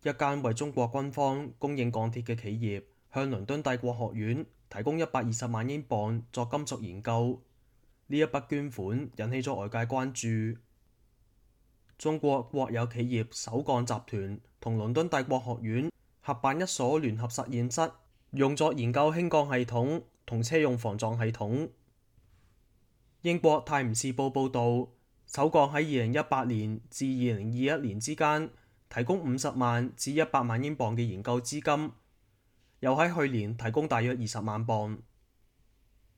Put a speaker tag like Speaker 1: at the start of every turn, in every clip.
Speaker 1: 一間為中國軍方供應鋼鐵嘅企業，向倫敦帝國學院提供120萬英鎊作金屬研究。呢一筆捐款引起咗外界關注。中國國有企業首鋼集團同倫敦帝國學院合辦一所聯合實驗室，用作研究氫鋼系統同車用防撞系統。英國《泰晤士報》報導，首鋼喺2018年至2021年之間提供50萬至100萬英鎊嘅研究資金，又喺去年提供大約20萬鎊。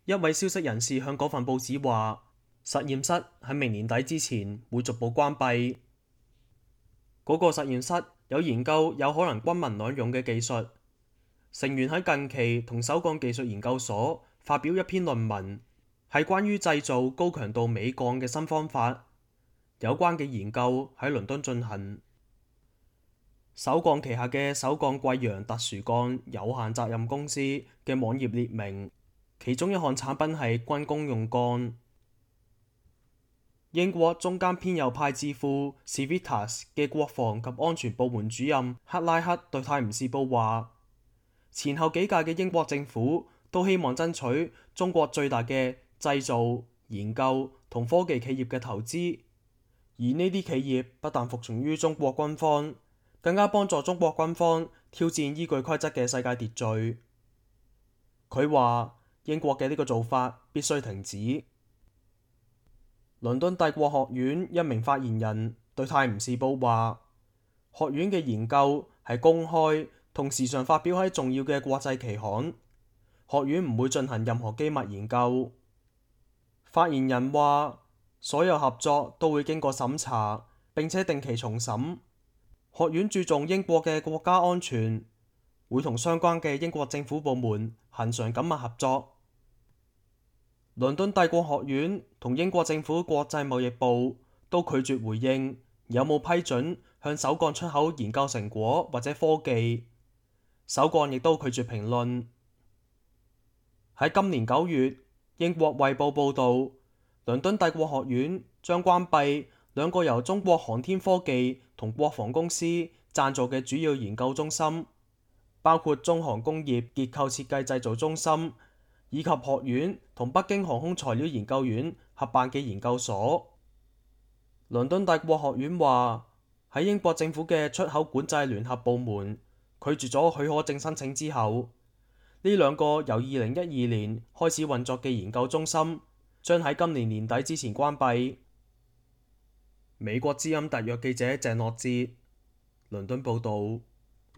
Speaker 1: 一位消息人士向嗰份報紙話，實驗室喺明年底之前會逐步關閉。嗰個實驗室有研究有可能軍民兩用嘅技術。成員喺近期同首鋼技術研究所發表一篇論文，係關於製造高強度鎂鋼嘅新方法。有關嘅研究喺倫敦進行。首鋼旗下嘅首鋼貴陽特殊鋼有限責任公司嘅網頁列明，其中一項產品係軍工用鋼。英國中間偏右派智庫 Civitas 嘅國防及安全部門主任克拉克對《泰晤士報》話，前後幾屆嘅英國政府都希望爭取中國最大嘅製造、研究同科技企業嘅投資，而呢啲企業不但服從於中國軍方，更加幫助中國軍方挑戰依據規則嘅世界秩序。佢話英國嘅呢個做法必須停止。倫敦帝國學院一名發言人對《泰晤士報》話，學院嘅研究係公開同時常發表喺重要嘅國際期刊，學院唔會進行任何機密研究。發言人話，所有合作都會經過審查，並且定期重審。學院注重英國嘅國家安全，會同相關嘅英國政府部門恆常緊密合作。倫敦帝國學院同英國政府國際貿易部都拒絕回應有冇批准向首鋼出口研究成果或者科技。首鋼亦都拒絕評論。喺今年9月，英國衛報報導，倫敦帝國學院將關閉2個由中國航天科技同國防公司贊助嘅主要研究中心，包括中航工業結構設計製造中心，以及學院同北京航空材料研究院合辦嘅研究所。倫敦帝國學院話，喺英國政府嘅出口管制聯合部門拒絕咗許可證申請之後，呢2個由2012年開始運作嘅研究中心將喺今年年底之前關閉。美國之音特約記者鄭諾哲，倫敦報導。